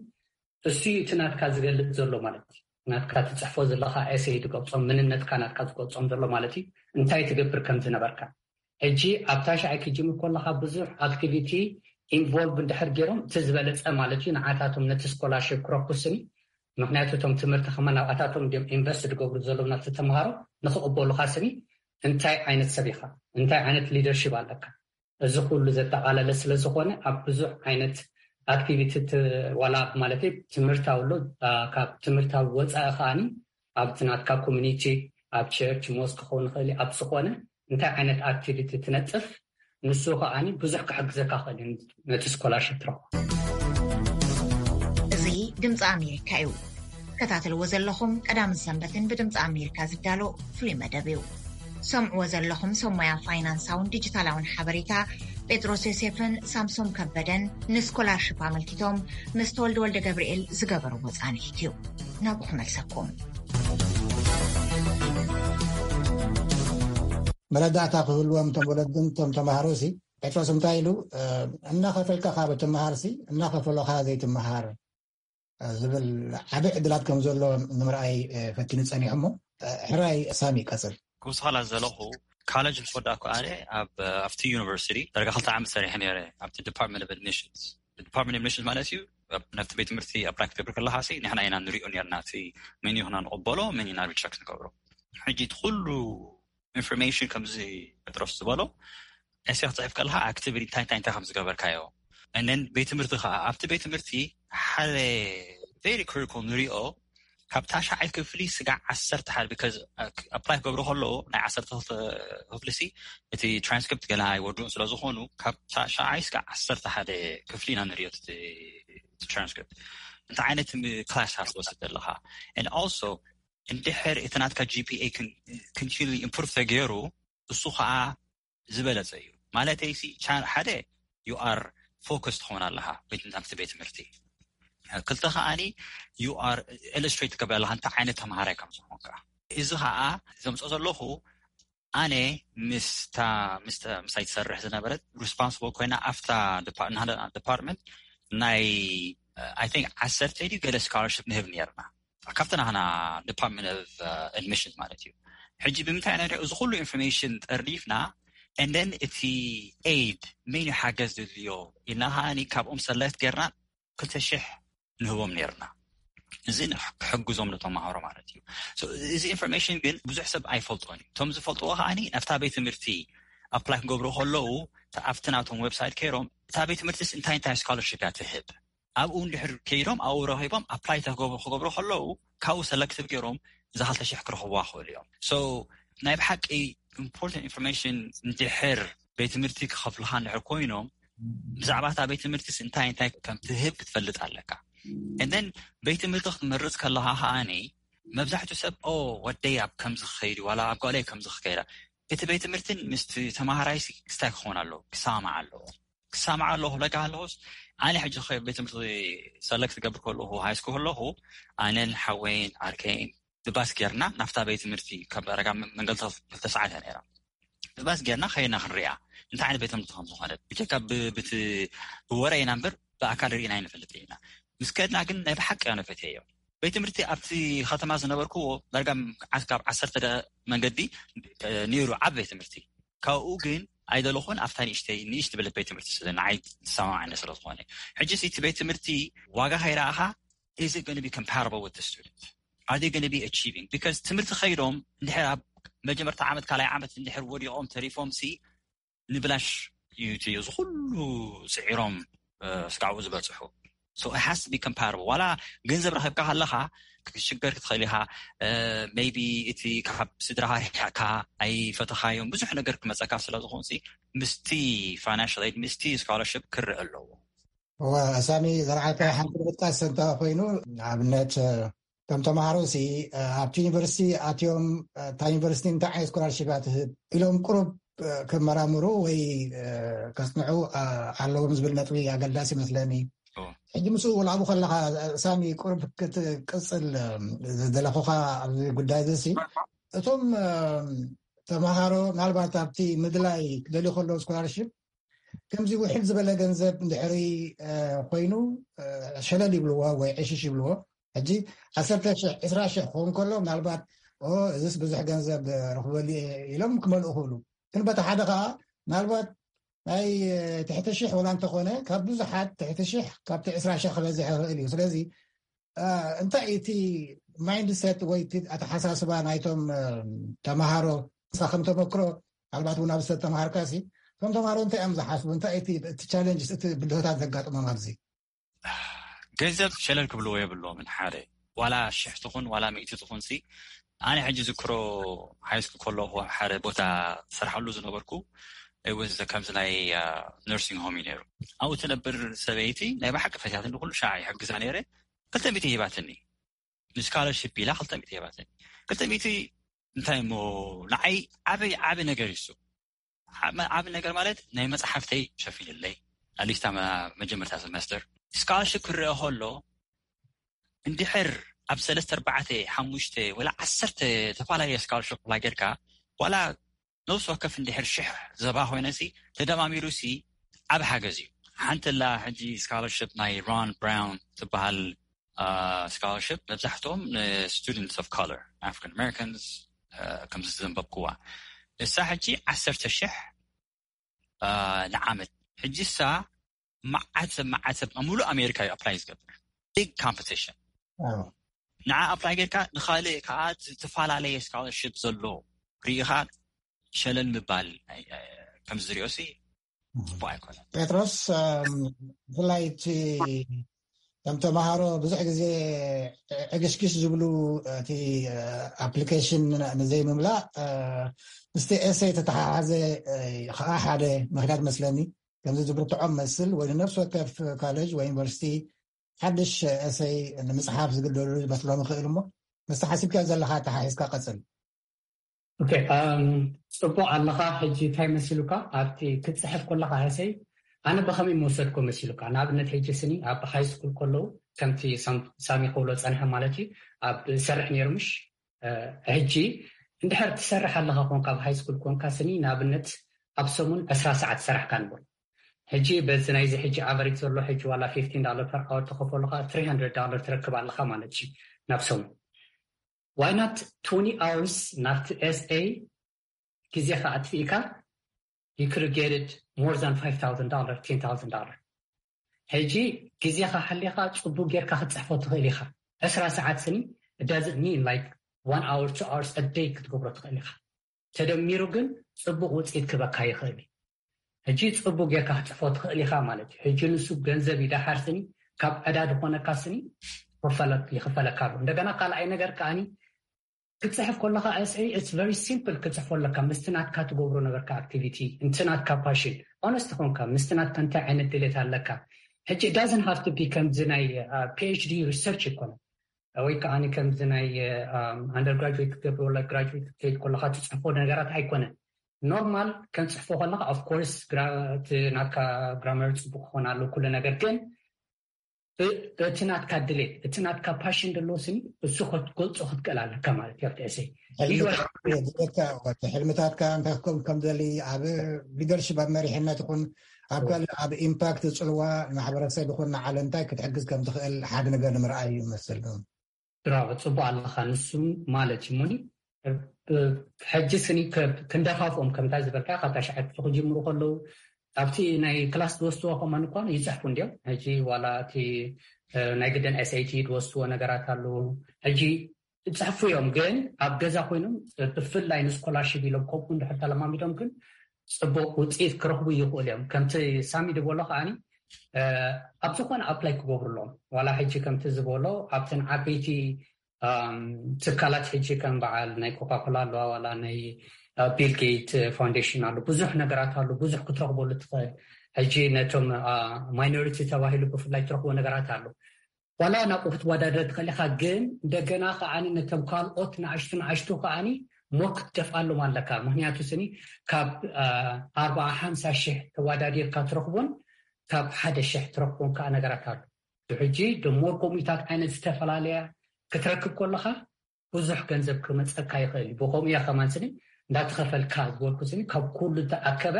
እሱ እዩ እቲ ናትካ ዝገልፅ ዘሎ ማለት እዩ። ናትካ ትፅሕፎ ዘለካ ኤሰይ ዝገልፆም ምንነትካ ናትካ ዝገልፆም ዘሎ ማለት እዩ። እንታይ ትገብር ከም ዝነበርካ ሕጂ ኣብ ታሽዓይ ክጅምር ከለካ ብዙሕ ኣክቲቪቲ ኢንቮልቭ እንድሕር ገይሮም እቲ ዝበለፀ ማለት እዩ ንዓታቶም ነቲ ስኮላርሽፕ ክረኩስኒ። ምክንያቱ እቶም ትምህርቲ ከማ ናብኣታቶም እንዲም ኢንቨስት ዝገብሩ ዘለዉ ናብቲ ተምሃሮ ንክቕበሉካ ስኒ እንታይ ዓይነት ሰብ ኢካ እንታይ ዓይነት ሊደርሽፕ ኣለካ እዚ ኩሉ ዘጠቓለለ ስለ ዝኾነ ኣብ ብዙሕ ዓይነት ኣክቲቪቲ ዋላ ማለት ትምህርታዊ ኣሎ ካብ ትምህርታዊ ወፃኢ ከዓኒ ኣብቲ ናትካ ኮሚኒቲ ኣብ ቸርች ሞስ ክኸውን ይኽእል ኣብ ዝኾነ እንታይ ዓይነት ኣክቲቪቲ ትነጥፍ ንሱ ከዓኒ ብዙሕ ክሕግዘካ ክእል ነቲ ስኮላርሽፕ ትረኽቦ። እዚ ድምፂ ኣሜሪካ እዩ። ከታተልዎ ዘለኹም ቀዳምን ሰንበትን ብድምፂ ኣሜሪካ ዝዳሎ ፍሉይ መደብ እዩ። ሰምዕዎ ዘለኹም ሰሞያ ፋይናንሳውን ዲጂታላውን ሓበሬታ ጴጥሮስ ዮሴፍን ሳምሶም ከበደን ንስኮላርሽፕ ኣመልኪቶም ምስ ተወልደ ወልደ ገብርኤል ዝገበርዎ ጻንሒት እዩ። ናብኡ ክመልሰኩም። መረዳእታ ክህልዎም እቶም ወለድን እቶም ተማሃሮ ሲ ጴጥሮስ እንታይ ኢሉ እናኸፈልካ ካብ ትምሃር ሲ እናኸፈሎኻ ዘይትምሃር ዝብል ዓቢ ዕድላት ከም ዘሎ ንምርኣይ ፈቲኑ ጸኒሑ። እሞ ሕራይ ሳሚ ቀጽል። ክውስኸላ ዘለኹ ካለጅ ምስ ወዳእኩ ኣነ ኣብ ኣብቲ ዩኒቨርሲቲ ደረጋ ክልተ ዓመት ሰሪሐ ነይረ ኣብቲ ዲፓርትመንት ኦፍ ኣድሚሽንስ። ዲፓርትመንት ኣድሚሽንስ ማለት እዩ ናብቲ ቤት ትምህርቲ ኣፕላይ ክትገብር ከለካ ሲ ንሕና ኢና ንሪኦ ነርና እቲ መን ይኹና ንቕበሎ መን ኢና ሪጀክት ንገብሮ። ሕጂ እቲ ኩሉ ኢንፎርሜሽን ከምዚ ጴጥሮስ ዝበሎ ኤሴ ክትፅሕፍ ከለካ ኣክቲቪቲ እንታይ እንታይ እንታይ ከም ዝገበርካዮ እነን ቤት ትምህርቲ ከዓ ኣብቲ ቤት ትምህርቲ ሓደ ቨሪ ክሪቲካል ንሪኦ ካብ ታሽዓይ ክፍሊ ስጋዕ ዓሰርተ ሓደ because ኣፕላይ ክገብሩ ከለዉ ናይ ዓሰርተ ክፍሊ ሲ እቲ ትራንስክሪፕት ገና ኣይወድኡን ስለ ዝኾኑ ካብ ታሽዓይ ስጋዕ ዓሰርተ ሓደ ክፍሊ ኢና ንሪኦ ትራንስክሪፕት እንታይ ዓይነት ክላስ ትወስድ ዘለካ and also እንድሕር እቲ ናትካ ጂፒኤ continue improve ተገይሩ እሱ ከዓ ዝበለፀ እዩ ማለተይ ሓደ you are focus ትኸውን ኣለካ ቤት ትምህርቲ ክልተ ከዓኒ you are illustrate ትገብር ኣለካ እንታይ ዓይነት ተምሃራይ ከም ዝኾንካ እዚ ከዓ ዘምፅኦ ዘለኹ ኣነ ምስታ ምስታይ ትሰርሕ ዝነበረት responsible ኮይና ኣብታ department ናይ I think ዓሰርተ ድዩ ገለ scholarship ንህብ ነርና ካብቲ ናህና department of admission ማለት እዩ ሕጂ ብምንታይ ኢና እዚ ኩሉ ኢንፎርሜሽን ጠርኒፍና and then እቲ aid መን ሓገዝ ድልዮ ኢልና ከዓኒ ካብኦም ሰላይት ጌርና ክልተ ሽሕ ንህቦም ነርና እዚ ክሕግዞም ንተማሃሮ ማለት እዩ እዚ ኢንፎርሜሽን ግን ብዙሕ ሰብ ኣይፈልጦን እዩ እቶም ዝፈልጥዎ ከዓኒ ናብታ ቤት ትምህርቲ ኣፕላይ ክገብሩ ከለዉ ኣብቲ ናቶም ዌብሳይት ከይሮም እታ ቤት ትምህርትስ እንታይ እንታይ ስኮላርሽፕ እያ ትህብ ኣብኡ እንድሕር ከይዶም ኣብኡ ረኺቦም ኣፕላይ ክገብሩ ከለዉ ካብኡ ሰለክቲቭ ገይሮም እዛ ክልተ ሽሕ ክረኽብዋ ክኽእሉ እዮም so ናይ ብሓቂ ኢምፖርታንት ኢንፎርሜሽን እንድሕር ቤት ትምህርቲ ክኸፍልካ እንድሕር ኮይኖም ብዛዕባ እታ ቤት ትምህርትስ እንታይ እንታይ ከም ትህብ ክትፈልጥ ኣለካ እደን ቤት ትምህርቲ ክትመርፅ ከለካ ከዓኒ መብዛሕትኡ ሰብ ኦ ወደይ ኣብ ከምዚ ክኸይድ ዋላ ኣብ ጓለይ ከምዚ ክከይዳ እቲ ቤት ትምህርትን ምስቲ ተማሃራይ ክስታይ ክኸውን ኣለዎ ክሰማማዕ ኣለዎ ክሰማማዕ ኣለዎ ክብለካ ከለኹስ ኣነ ሕጂ ቤት ትምህርቲ ሰለክት ክገብር ከለኹ ሃይ ስኩል ከለኹ ኣነን ሓወይን ዓርከይን ብባስ ጌርና ናብታ ቤት ትምህርቲ ካብ ዳረጋ መንገዲ ክልተ ሰዓት እያ ነይራ ብባስ ጌርና ከይና ክንሪኣ እንታይ ዓይነት ቤት ትምህርቲ ከም ዝኾነት ብጀካ ብወረ ኢና እምበር ብኣካል ርኢና ኣይንፈልጥ ኢና ምስ ከድና ግን ናይ ብሓቂ እያ ነፈትየዮ ቤት ትምህርቲ ኣብቲ ከተማ ዝነበርኩዎ ዳርጋ ካብ ዓሰርተ ደቂቕ መንገዲ ነይሩ ዓቢ ቤት ትምህርቲ ካብኡ ግን ኣይደለኹን ኣብታ ንእሽተይ ንእሽቲ ዝበለት ቤት ትምህርቲ ስለ ንዓይ ዝሰማማዓኒ ስለ ዝኾነ ሕጂ እቲ ቤት ትምህርቲ ዋጋ ከይረኣኻ is it going to be comparable with the student are they going to be achieving because ትምህርቲ ከይዶም እንድሕር ኣብ መጀመርታ ዓመት ካልኣይ ዓመት እንድሕር ወዲቖም ተሪፎም ሲ ንብላሽ እዩ እቲ እዚ ኩሉ ስዒሮም ስጋዕኡ ዝበፅሑ so it has to be comparable ዋላ ገንዘብ ረኺብካ ከለካ ክትሽገር ክትኽእል ኢካ maybe እቲ ካብ ስድራካ ርሒቅካ ኣይፈተኻዮም ብዙሕ ነገር ክመፀካ ስለ ዝኾን ምስቲ financial aid ምስቲ scholarship ክረአ ኣለዎ ሳሚ ዘርዓተ ሓንቲ ምጥቃስ እንተ ኮይኑ ንኣብነት እቶም ተምሃሮ ሲ ኣብቲ ዩኒቨርሲቲ ኣትዮም እታ ዩኒቨርሲቲ እንታይ ዓይነት ስኮላርሽፕ እያ ትህብ ኢሎም ቁሩብ ክመራምሩ ወይ ከጽንዑ ኣለዎም ዝብል ነጥቢ ኣገዳሲ ይመስለኒ። ሕጂ ምስኡ ወላቡ ከለኻ ሳሚ ቁሩብ ክትቅጽል ዝደለኹኻ ኣብዚ ጉዳይ እዚ ሲ እቶም ተምሃሮ ምናልባት ኣብቲ ምድላይ ክደልዩ ከለዉ ስኮላርሽፕ ከምዚ ውሕድ ዝበለ ገንዘብ እንድሕሪ ኮይኑ ሸለል ይብልዎ ወይ ዕሽሽ ይብልዎ። ሕጂ ዓሰርተ ሽሕ ዕስራ ሽሕ ክኸውን ከሎ ምናልባት እዚስ ብዙሕ ገንዘብ ረኽበሉ ኢሎም ክመልኡ ክብሉ። ግን በቲ ሓደ ከዓ ምናልባት ናይ ትሕቲ ሽሕ ወላ እንተኾነ ካብ ብዙሓት ትሕቲ ሽሕ ካብቲ ዕስራ ሽሕ ክበዝሕ ይኽእል እዩ። ስለዚ እንታይ እቲ ማይንድሰት ወይ ኣተሓሳስባ ናይቶም ተምሃሮ ንስኻ ከም ተመክሮ ምናልባት እውን ኣብ ዝተተምሃርካ ሲ እቶም ተምሃሮ እንታይ እዮም ዝሓስቡ? እንታይ እቲ ቻለንጅ እቲ ብድሆታት ዘጋጥሞም ኣብዚ? ገንዘብ ሸለል ክብልዎ የብሎምን። ሓደ ዋላ ሽሕ ትኹን ዋላ ሚእቲ ትኹን ሲ ኣነ ሕጂ ዝክሮ ሃይስኩል ከለኹ ሓደ ቦታ ዝሰርሓሉ ዝነበርኩ ወዝ ከምዚ ናይ ነርሲንግ ሆም እዩ ነይሩ። ኣብኡ ትነብር ሰበይቲ ናይ ብሓቂ ፈትያትኒ ኩሉ ሻዕ ይሕግዛ ነይረ። ክልተ ሚእቲ ሂባትኒ ንስካለርሽፕ ኢላ ክልተ ሚእቲ ሂባትኒ። ክልተ ሚእቲ እንታይ እሞ ንዓይ ዓበይ ዓቢ ነገር እዩ እሱ። ዓቢ ነገር ማለት ናይ መጽሓፍተይ ሸፊንለይ ኣሊስታ መጀመርታ ሰመስተር ስካላርሽፕ ክረአ ከሎ እንድሕር ኣብ ሰለስተ ኣርባዕተ ሓሙሽተ ወላ ዓሰርተ ተፈላለየ ስካላርሽፕ ኣፕላይ ጌርካ ዋላ ነብሲ ወከፍ እንድሕር ሽሕ ዘባ ኮይነሲ ተደማሚሩሲ ዓብ ሓገዝ እዩ። ሓንቲ ላ ሕጂ ስካላርሽፕ ናይ ሮን ብራውን ትበሃል ስካላርሽፕ መብዛሕትኦም ንስቱደንትስ ኦፍ ኮለር ኣፍሪካን ኣሜሪካንስ ከምዚ ዘንበብክዋ እሳ ሕጂ ዓሰርተ ሽሕ ንዓመት ሕጂ እሳ መዓት ሰብ መዓት ሰብ ኣብ ሙሉእ ኣሜሪካ እዩ ኣፕላይ ዝገብር ቢግ ኮምፒቲሽን ንዓ ኣፕላይ ጌርካ ንኻልእ ከዓ ዝተፈላለየ ስካላርሽፕ ዘሎ ርኢኻ ሸለል ምባል ከምዚ ዝሪኦ ሲ ፅቡቅ ኣይኮነን። ጴጥሮስ ብፍላይ እቲ ከም ተምሃሮ ብዙሕ ግዜ ኤክስኪስ ዝብሉ እቲ ኣፕሊኬሽን ንዘይምምላእ ምስቲ ኤሰይ ተተሓሓዘ ከዓ ሓደ ምክንያት መስለኒ ከምዚ ዝብርትዖም መስል ወይ ንነፍሲ ወከፍ ኮሌጅ ወይ ዩኒቨርሲቲ ሓድሽ ኤሰይ ንምፅሓፍ ዝግደዱ ዝመስሎም ይኽእል እሞ ምስቲ ሓሲብካ ዘለካ ተሓሒዝካ ቀፅል። ኦኬ፣ ኣም፣ ጽቡቕ ኣለኻ። ሕጂ እንታይ መሲሉካ ኣብቲ ክትጽሕፍ ከለኻ ሕሰይ ኣነ ብኸመይ መውሰድኮ መሲሉካ? ንኣብነት ሕጂ ስኒ ኣብ ሃይ ስኩል ከለዉ ከምቲ ሳም- ሳሚ ክብሎ ጸንሐ ማለት እዩ ኣብ ሰርሕ ነይሩ ምሽ እ፣ ሕጂ እንድሕር ትሰርሕ ኣለኻ ኮንካ ኣብ ሃይ ስኩል ኮንካ ስኒ ንኣብነት ኣብ ሰሙን ዕስራ ሰዓት ሰራሕካ ንብል ሕጂ በዚ ናይዚ ሕጂ ኣቨሬጅ ዘሎ ሕጂ ዋላ fifteen dollar per hour ተኸፈሉካ three hundred dollar ትረክብ ኣለኻ ማለት እዩ ናብ ሰሙን why not twenty hours ናብቲ SA ግዜኻ ኣጥፊእካ you could get it more than five thousand dollar ten thousand dollar ሕጂ ግዜኻ ሓሊኻ ጽቡቅ ጌርካ ክትጽሕፎ ትኽእል ኢኻ ዕስራ ሰዓት ስኒ it doesn't mean like one hour two hours a day ክትገብሮ ትኽእል ኢኻ ተደሚሩ ግን ጽቡቅ ውጽኢት ክበካ ይኽእል እዩ ሕጂ ጽቡቅ ጌርካ ክትጽሕፎ ትኽእል ኢኻ ማለት እዩ ሕጂ ንሱ ገንዘብ ይዳሓር ስኒ ካብ ዕዳ ዝኾነካ ስኒ ይኽፈለካ ኣሎ እንደገና ካልኣይ ነገር ከዓኒ ክትፅሕፍ ከለካ SA it's very simple ክትፅሕፎ ኣለካ ምስቲ ናትካ ትገብሮ ነበርካ ኣክቲቪቲ እንት ናትካ ፓሽን ኦነስት ኾንካ ምስቲ ናትካ እንታይ ዓይነት ድሌት ኣለካ ሕጂ it doesn't have to be ከምዚ ናይ PhD research ይኮነ ወይ ከዓ ከምዚ ናይ undergraduate ክትገብር ወላ graduate ክትከይድ ከለካ ትፅሕፎ ነገራት ኣይኮነ normal ከም ፅሕፎ ከለካ of course ናትካ grammar ፅቡቅ ክኾን ኣሎ ኩሉ ነገር ግን እቲ ናትካ ድሌት እቲ ናትካ ፓሽን ዘለዎ ስኒ እሱ ክትገልፆ ክትክእል ኣለካ ማለት እዩ ኣብቲ ኤሰይ ሕልምታትካ እንታይ ክከውን ከም ደሊ ኣብ ሊደርሽፕ ኣብ መሪሕነት ይኹን ኣብ ካልእ ኣብ ኢምፓክት ፅልዋ ማሕበረሰብ ይኹን ንዓለም እንታይ ክትሕግዝ ከም ትኽእል ሓደ ነገር ንምርኣይ እዩ መስል ብራቮ ፅቡቅ ኣለካ ንሱ ማለት እዩ ሙኒ ሕጂ ስኒ ክንደፋፍኦም ከምታ ዝበልካ ካብ ታሽዓይ ክፍሊ ክጅምሩ ከለዉ ኣብቲ ናይ ክላስ ዝወስድዎ ከማን እኳ ይፅሕፉ እንዲዮም ሕጂ ዋላ እቲ ናይ ግደን SAT ዝወስድዎ ነገራት ኣለዉ ሕጂ ይፅሕፉ እዮም ግን ኣብ ገዛ ኮይኖም ብፍላይ ንስኮላርሽፕ ኢሎም ከምኡ እንድሕር ተለማሚዶም ግን ፅቡቅ ውፅኢት ክረኽቡ ይኽእሉ እዮም ከምቲ ሳሚ ዝበሎ ከዓኒ ኣብ ዝኾነ ኣፕላይ ክገብሩ ኣለዎም ዋላ ሕጂ ከምቲ ዝበሎ ኣብተን ዓበይቲ ትካላት ሕጂ ከም በዓል ናይ ኮካኮላ ኣለዋ ዋላ ናይ ቢል ጌት ፋውንዴሽን ኣሎ ብዙሕ ነገራት ኣሎ ብዙሕ ክትረኽበሉ ትኽእል ሕጂ ነቶም ማይኖሪቲ ተባሂሉ ብፍላይ ትረኽቦ ነገራት ኣሎ ዋላ ናብኡ ክትወዳደር ትኽእል ኢኻ ግን እንደገና ከዓኒ ነቶም ካልኦት ንኣሽቱ ንኣሽቱ ከዓኒ ሞር ክትደፍኣሎም ኣለካ ምክንያቱ ስኒ ካብ ኣርባዓ ሓምሳ ሽሕ ተወዳዲርካ ትረኽቦን ካብ ሓደ ሽሕ ትረኽቦን ከዓ ነገራት ኣሎ ሕጂ ደሞር ከምኡታት ዓይነት ዝተፈላለያ ክትረክብ ከለካ ብዙሕ ገንዘብ ክመፀካ ይኽእል እዩ ብከምኡ እያ ከማን ስኒ እንዳተኸፈልካ ዝበልኩ ስኒ ካብ ኩሉ ዝተኣከበ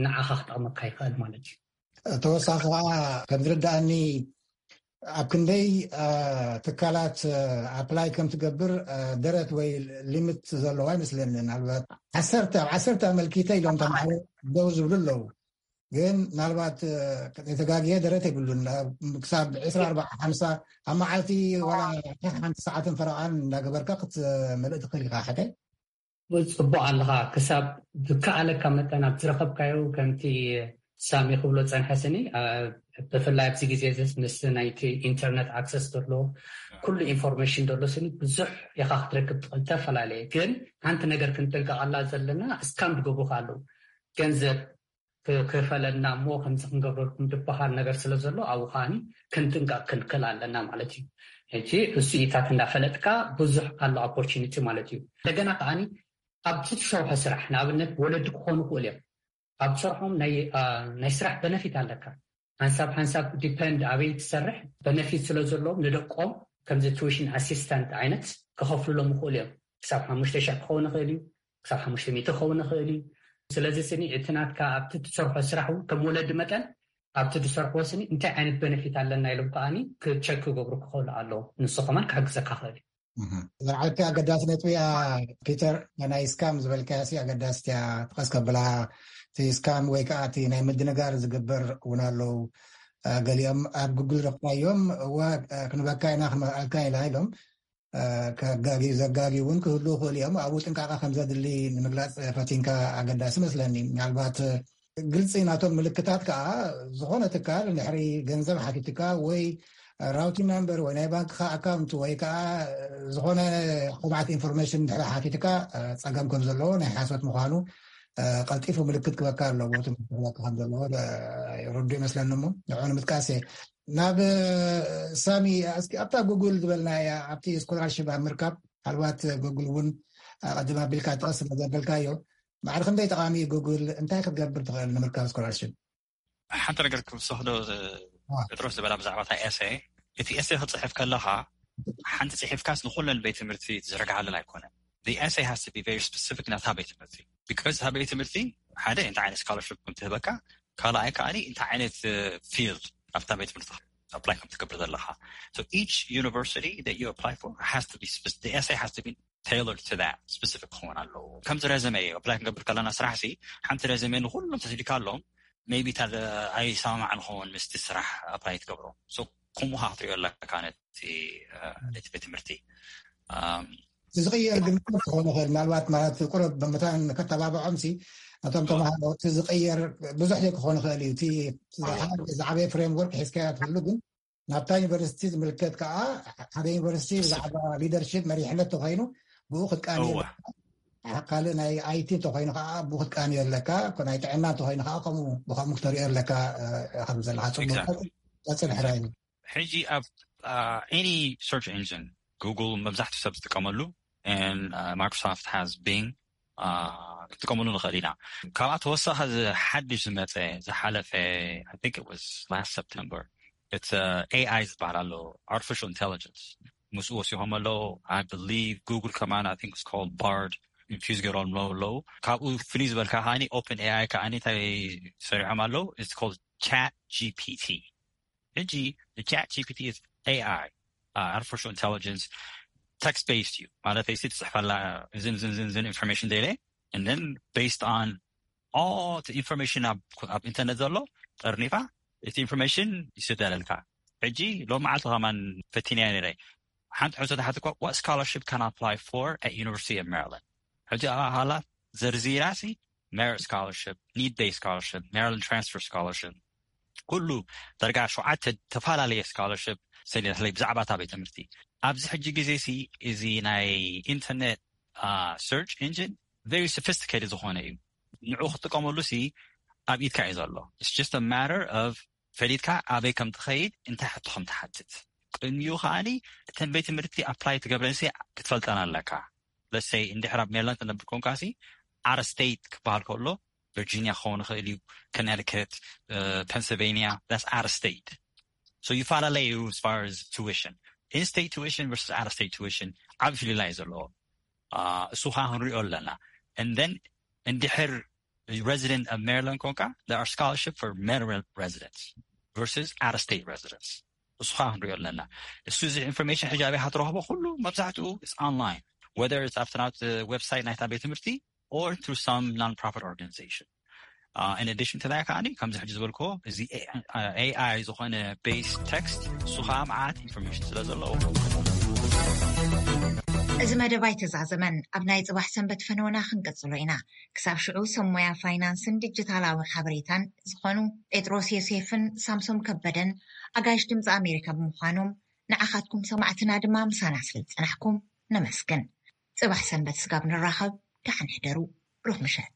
ንዓኻ ክጠቕመካ ይኽእል ማለት እዩ ተወሳኺ ከዓ ከም ዝርዳእኒ ኣብ ክንደይ ትካላት ኣፕላይ ከም ትገብር ደረት ወይ ሊምት ዘለዎ ኣይመስለኒ ናልባት ዓሰርተ ኣብ ዓሰርተ ኣመልኪተ ኢሎም ተማሃሮ ደው ዝብሉ ኣለዉ ግን ምናልባት የተጋግየ ደረት የብሉን ክሳብ ዕስራ ኣርባዓ ሓምሳ ኣብ መዓልቲ ወላ ሓንቲ ሰዓትን ፈረቓን እንዳገበርካ ክትመልእ ትኽእል ኢኻ ሕደ ጽቡቕ ኣለኻ ክሳብ ዝከኣለካ መጠን ኣብ ዝረኸብካዮ ከምቲ ሳሚ ክብሎ ጸንሐ ስኒ ብፍላይ ኣብዚ ግዜ ምስ ናይቲ ኢንተርነት ኣክሰስ ዘሎ ኩሉ ኢንፎርሜሽን ዘሎ ስኒ ብዙሕ ኢኻ ክትረክብ ትኽእል ዝተፈላለየ ግን ሓንቲ ነገር ክንጥንቀቐላ ዘለና እስካም ዝገብሩካ ኣለዉ ገንዘብ ክፈለና እሞ ከምዚ ክንገብረልኩም ዝበሃል ነገር ስለ ዘሎ ኣብኡ ከዓኒ ክንጥንቀቅ ክንክል ኣለና ማለት እዩ። ሕጂ እሱ ኢታት እንዳፈለጥካ ብዙሕ ኣሎ ኦፖርቹኒቲ ማለት እዩ። እንደገና ከዓኒ ኣብቲ ትሰርሖ ስራሕ ንኣብነት ወለዲ ክኾኑ ይኽእሉ እዮም። ኣብ ስርሖም ናይ ስራሕ በነፊት ኣለካ። ሓንሳብ ሓንሳብ ዲፐንድ ኣበይ ትሰርሕ በነፊት ስለ ዘለዎም ንደቆም ከምዚ ቱዊሽን ኣሲስታንት ዓይነት ክኸፍሉሎም ይኽእሉ እዮም። ክሳብ ሓሙሽተ ሽሕ ክኸውን ይኽእል እዩ፣ ክሳብ ሓሙሽተ ሚእቲ ክኸውን ይኽእል እዩ። ስለዚ ስኒ እቲ ናትካ ኣብቲ ትሰርሖ ስራሕ እውን ከም ወለዲ መጠን ኣብቲ ትሰርሕዎ ስኒ እንታይ ዓይነት በነፊት ኣለና ኢሎም ከዓኒ ክቸክ ክገብሩ ክኽእሉ ኣለዎም። ንሱ ከማን ክሕግዘካ ክኽእል እዩ። ዝዓለቲ ኣገዳሲ ነጥቢ እያ ፒተር። ናይ ስካም ዝበልካያ ሲ ኣገዳሲት እያ። ጥቀስ ከብላ እቲ ስካም ወይ ከዓ እቲ ናይ ምድንጋር ዝግበር እውን ኣለዉ። ገሊኦም ኣብ ጉግል ረኽባዮም እወ ክንበካ ኢና ክንመልኣልካ ኢና ኢሎም ከጋጊ ዘጋጊ እውን ክህሉ ይኽእሉ እዮም። ኣብኡ ጥንቃቐ ከም ዘድሊ ንምግላፅ ፈቲንካ ኣገዳሲ መስለኒ። ምናልባት ግልፂ ናቶም ምልክታት ከዓ ዝኾነ ትካል እንድሕሪ ገንዘብ ሓቲትካ ወይ ራውቲንግ ናምበር ወይ ናይ ባንክካ ኣካውንት ወይ ከዓ ዝኾነ ቅብዓት ኢንፎርሜሽን እንድሕሪ ሓቲትካ ፀገም ከም ዘለዎ ናይ ሓሶት ምዃኑ ቀልጢፉ ምልክት ክበካ ኣለዎ ትምህርቲ ክበካ ከም ዘለዎ ርዱ ይመስለኒ። እሞ ንዑ ንምጥቃስ እየ ናብ ሳሚ። እስኪ ኣብታ ጉግል ዝበልና እያ ኣብቲ ስኮላርሽፕ ኣብ ምርካብ ምናልባት ጉግል እውን ቀድም ኣቢልካ ጥቐስ ስለ ዘበልካዮ ማዕሪ ክንደይ ጠቓሚ እዩ ጉግል እንታይ ክትገብር ትኽእል ንምርካብ ስኮላርሽፕ? ሓንቲ ነገር ክውሰኽዶ ጴጥሮስ ዝበላ ብዛዕባ እታ ኤሰ፣ እቲ ኤሰ ክፅሕፍ ከለኻ ሓንቲ ፅሒፍካስ ንኩለን ቤት ትምህርቲ ዝዘርግሓለን ኣይኮነን። The essay has to be very specific ናታ ቤት ትምህርቲ because እታ ቤት ትምህርቲ ሓደ እንታይ ዓይነት ስኮላርሽፕ ከም ትህበካ፣ ካልኣይ ከዓኒ እንታይ ዓይነት ፊልድ ኣብታ ቤት ትምህርቲ ኣፕላይ ከም ትገብር ዘለካ። So each university that you apply for has to be the essay has to be tailored to that specific ክኸውን ኣለዎ። ከምዚ ረዘመ ኣፕላይ ክንገብር ከለና ስራሕ ሲ ሓንቲ ረዘመ ንኩሎም ተስዲካ ኣሎም maybe እታ ኣይሰማማዕ ንኸውን ምስቲ ስራሕ ኣፕላይ ትገብሮ። So ከምኡ ካ ክትሪኦ ኣለካ ነቲ ቤት ትምህርቲ። እቲ ዝቕየር ግን ክኾን ይኽእል ምናልባት ማለት ቁረብ ብምታን ከተባብዖም ሲ ነቶም ተምሃሮ እቲ ዝቕየር ብዙሕ ክኾን ይኽእል እዩ። እቲ ዝዓበየ ፍሬምወርክ ሒዝካያ ትህሉ ግን ናብታ ዩኒቨርሲቲ ዝምልከት ከዓ ሓደ ዩኒቨርሲቲ ብዛዕባ ሊደርሽፕ መሪሕነት ተኮይኑ ብኡ ክትቃኒ ካልእ ናይ ኣይቲ እንተኮይኑ ከዓ ብኡ ክትቃኒ ኣለካ። ናይ ጥዕና እንተኮይኑ ከዓ ከምኡ ብከምኡ ክተሪኦ ኣለካ። ከም ዘለካ ፅቡቅ ቀፅል ሕራይ። ሕጂ ኣብ any search engine ጉግል መብዛሕትኡ ሰብ ዝጥቀመሉ ማይክሮሶፍት has Bing ክጥቀመሉ ንኽእል ኢና። ካብኣ ተወሳኺ ሓድሽ ዝመፀ ዝሓለፈ I think it was last September እቲ ኤኣይ ዝበሃል ኣሎ artificial intelligence ምስኡ ወሲኾም ኣለዉ። I believe ጉግል ከማን I think it's called Bard ኢንፊውዝ ገይሮም ኣለዉ። ካብኡ ፍልይ ዝበልካ ከዓኒ ኦፕን ኤኣይ ከዓኒ እንታይ ሰሪዖም ኣለዉ። It's called ቻት ጂፒቲ። ሕጂ ቻት ጂፒቲ is ኤኣይ artificial intelligence text based እዩ ማለት ሲ ትፅሕፈላ እዝን ዝን ዝን ዝን ኢንፎርሜሽን ደለ and then based on all the information ኣብ ኢንተርነት ዘሎ ጠርኒፋ እቲ ኢንፎርሜሽን ይስደለልካ። ሕጂ ሎም መዓልቲ ከማን ፈቲንያ ነረ ሓንቲ ሕቶ ተሓትኳ what scholarship can I apply for at University of Maryland? ሕጂ ሃላ ዘርዚራ ሲ merit scholarship, need based scholarship, Maryland transfer scholarship ኩሉ ደረጃ ሸውዓተ ተፈላለየ ስኮላርሽፕ ሰሊናለይ ብዛዕባ እታ ቤት ትምህርቲ። ኣብዚ ሕጂ ግዜ ሲ እዚ ናይ ኢንተርኔት search engine very sophisticated ዝኾነ እዩ። ንዑ ክትጥቀመሉ ሲ ኣብ ኢድካ እዩ ዘሎ። It's just a matter of ፈሊጥካ ኣበይ ከም ትኸይድ እንታይ ሕቶ ከም ትሓትት ቅድሚኡ ከዓኒ እተን ቤት ትምህርቲ ኣፕላይ ትገብረን ሲ ክትፈልጠን ኣለካ። ለሰይ እንድሕር ኣብ ሜሪላንድ ትነብር ኮንካ ሲ out of state ክበሃል ከሎ ቨርጂኒያ ክኸውን ይኽእል እዩ፣ ኮነቲከት፣ ፔንስልቬኒያ that's out of state። So ይፈላለ እዩ as far as tuition, in state tuition versus out of state tuition ዓብ ፍልላይ እዩ ዘለዎ። እሱ ከዓ ክንሪኦ ኣለና። And then እንድሕር resident of Maryland ኮንካ there are scholarship for Maryland residents versus out of state residents እሱ ከዓ ክንሪኦ ኣለና። እሱ እዚ ኢንፎርሜሽን ሕጂ ኣበይ ክትረኽቦ ኩሉ መብዛሕትኡ online whether it's ኣብቲ ናት ዌብሳይት ናይታ ቤት ትምህርቲ or through some non-profit organization. In addition to that ከዓኒ ከምዚ ሕጂ ዝበልክዎ እዚ ኤኣይ ዝኾነ based text እሱ ከዓ መዓት ኢንፎርሜሽን ስለ ዘለዎ እዚ መደብ ኣይተዛዘመን። ኣብ ናይ ፅባሕ ሰንበት ፈነወና ክንቅፅሎ ኢና። ክሳብ ሽዑ ሰብ ሞያ ፋይናንስን ዲጂታላዊ ሓበሬታን ዝኾኑ ጴጥሮስ ዮሴፍን ሳምሶም ከበደን ኣጋይሽ ድምፂ ኣሜሪካ ብምዃኖም ንዓኻትኩም ሰማዕትና ድማ ምሳና ስለ ዝፀናሕኩም ነመስግን። ፅባሕ ሰንበት ስጋብ ንራኸብ ደሓን ሕደሩ። ብሩኽ ምሸት።